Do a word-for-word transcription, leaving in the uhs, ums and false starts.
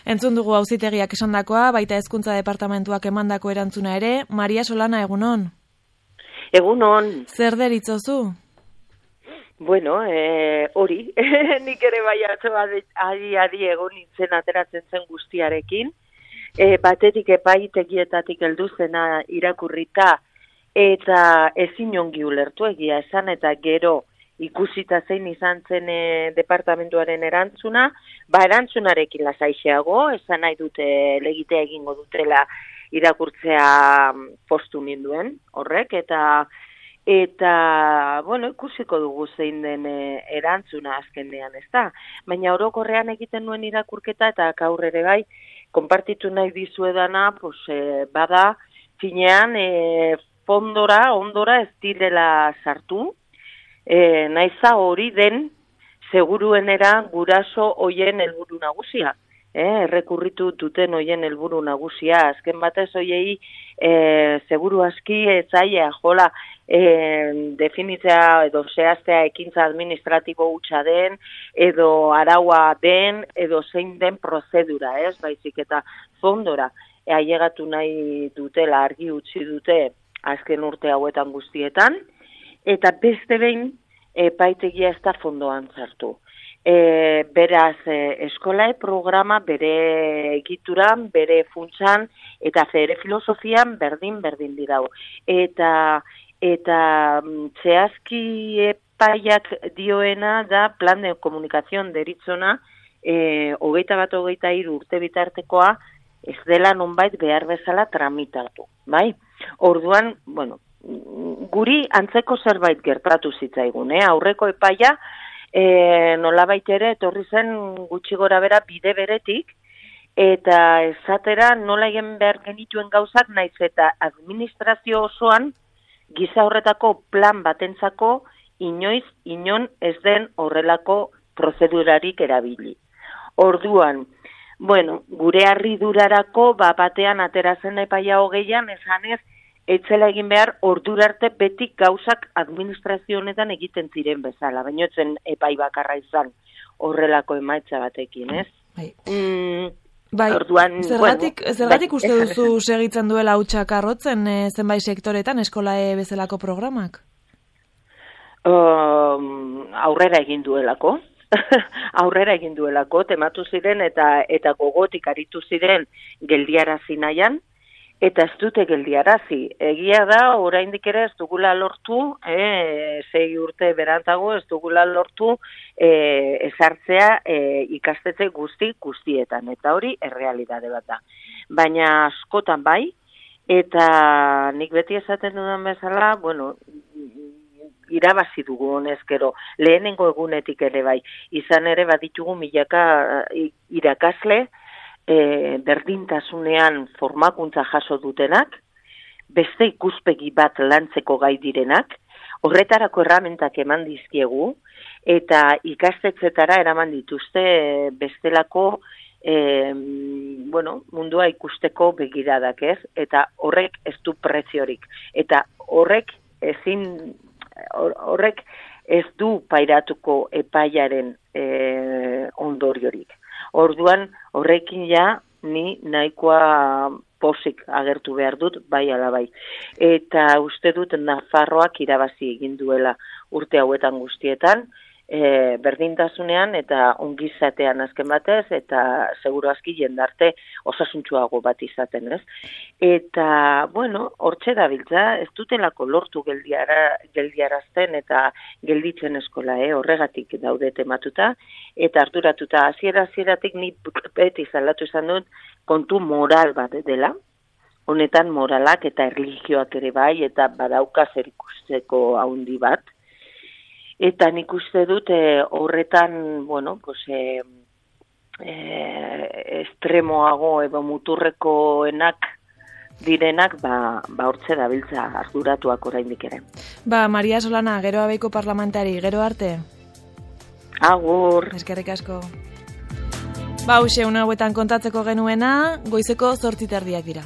Entzun dugu auzitegiak esandakoa, baita hezkuntza departamentuak emandako erantzuna ere. Maria Solana, egunon? Egunon. Zer deritzozu? Bueno, eh, hori, nik ere bai atzo adi-adi egon nintzen ateratzen zen guztiarekin, e, batetik epaitegietatik heldu zena irakurrita, eta ezin ongi ulertu egia esan, eta gero ikusita zein izan zen e, departamentuaren erantzuna, ba erantzunarekin lasaixeago, esan nahi dute legitea egingo dutela irakurtzea postu ninduen horrek, eta Eta, bueno, ikusiko dugu zein den e, erantzuna azkenean, ez da? Baina orokorrean egiten nuen irakurketa eta gaur ere bai, konpartitu nahi dizuedana, pues, e, bada, finean, e, fondora, ondora ez direla sartu, e, naiza hori den, seguruenera guraso hoien helburu nagusia. Eh, errekurritu duten hoien helburu nagusia, azken batez hoiei e, seguru aski etzaia jola e, definitzea edo zehaztea ekintza administratibo hutsa den, edo araua den, edo zein den prozedura, ez, baizik eta fondora e, ailegatu nahi dutela argi utzi dute azken urte hauetan guztietan, eta beste behin epaitegia ez da fondoan sartu. E, beraz, e, eskolae programa bere egituran, bere funtsan, eta bere filosofian berdin-berdin dirau. Eta, eta zehazki epaiak dioena da plan de komunikazion deritzona, e, hogeita bat hogeita hiru urte bitartekoa, ez dela nonbait behar bezala tramitatu, bai? Orduan, bueno, guri antzeko zerbait gertatu zitzaigun, eh? Aurreko epaia, E, nolabait ere etorri zen gutxi gora bera bide beretik, eta esatera nola egin behar genituen gauzak naiz eta administrazio osoan giza horretako plan batentzako inoiz inon ez den horrelako prozedurarik erabili. Orduan, bueno, gure harridurarako ba batean aterazen epaia hogeian esanez etzela egin behar ordura arte betik gauzak administrazio honetan egiten ziren bezala, baina etzen epai bakarra izan horrelako emaitza batekin, ez? Bai. Mm, bai. Orduan, zergatik, bueno, zergatik bai, uste duzu segitzen duela hutsak arrotzen e, zenbait sektoretan eskolae bezalako programak? Um, aurrera egin duelako. aurrera egin duelako, tematu ziren eta eta gogotik aritu ziren geldiarazi nahian, eta ez dute geldiarazi. Egia da, oraindik ere ez dugula lortu, eh, sei urte berantago ez dugula lortu eh, ezartzea eh, ikastetxe guzti guztietan, eta hori errealitate bat da. Baina askotan bai, eta nik beti esaten dudan bezala, bueno, irabazi dugu honezkero, lehenengo egunetik ere bai, izan ere baditugu milaka irakasle, E, berdintasunean formakuntza jaso dutenak, beste ikuspegi bat lantzeko gai direnak, horretarako erramentak eman dizkiegu, eta ikastetzetara eraman dituzte bestelako e, bueno, mundua ikusteko begiradak, ez? Eta horrek ez du preziorik. Eta horrek ezin horrek ez du pairatuko epaiaren e, ondoriorik. Orduan, horrekin ja, ni nahikoa posik agertu behar dut, bai ala bai. Eta uste dut Nafarroak irabazi egin duela urte hauetan guztietan, e, berdintasunean eta ongizatean azken batez, eta seguru aski jendarte osasuntsuago bat izaten, ez? Eta, bueno, hortxe dabiltza, ez dutelako lortu geldiara, geldiarazten eta gelditzen eskola, eh? Horregatik daude tematuta, eta arduratuta hasiera-hasieratik ni beti zalatu izan dut kontu moral bat dela, honetan moralak eta erlijioak ere bai, eta badauka zer ikusteko haundi bat. Eta nik uste dut e, horretan, bueno, pues, e, e, estremoago edo muturrekoenak direnak, ba, ba hortze dabiltza arduratuak oraindik ere. Ba, Maria Solana, gero abeiko parlamentari, gero arte? Agur. Eskerrik asko. Ba, hause, una hauetan kontatzeko genuena, goizeko zortziterdiak dira.